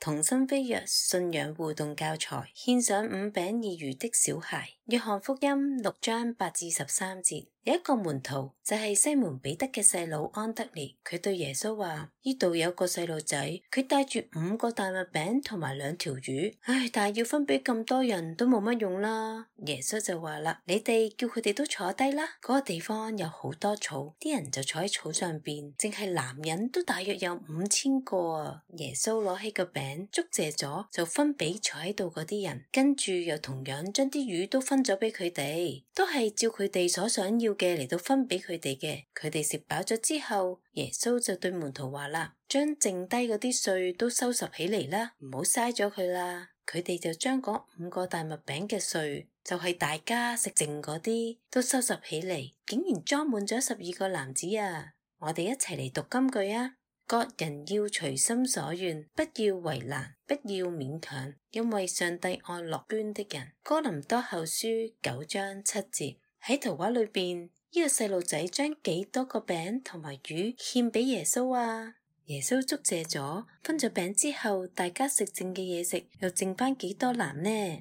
同心飛躍信仰互動教材，獻上5餅2魚的小孩。約翰福音6章8至13節，有一個門徒就係西門彼得嘅細佬安德烈，佢對耶穌話：呢度有個細路仔，佢帶住5個大麥餅同埋2條魚，但係要分俾咁多人都冇乜用啦。耶穌就話啦：你哋叫佢哋都坐低啦。嗰個地方有好多草，啲人就坐喺草上邊，淨係男人都大約有5000個啊。耶穌攞起個餅，祝謝咗，就分俾坐喺度嗰啲人，跟住又同樣將啲魚都分咗俾佢哋，都係照佢哋所想要嘅嚟到分俾佢哋嘅。佢哋食飽咗之後，耶穌就對門徒話啦：將剩低嗰啲碎都收拾起嚟啦，唔好嘥咗佢啦。佢哋就將嗰5個大麥餅嘅碎，就係大家食剩嗰啲，都收拾起嚟，竟然裝滿咗12個籃子啊！我哋一齊嚟讀金句啊！各人要隨心所願，不要為難，不要勉強，因為上帝愛樂捐的人。哥林多後書9章7節。喺圖畫裏邊，呢個細路仔將幾多個餅同埋魚獻俾耶穌啊？耶穌祝謝咗，分咗餅之後，大家食剩嘅嘢食，又剩翻幾多籃呢？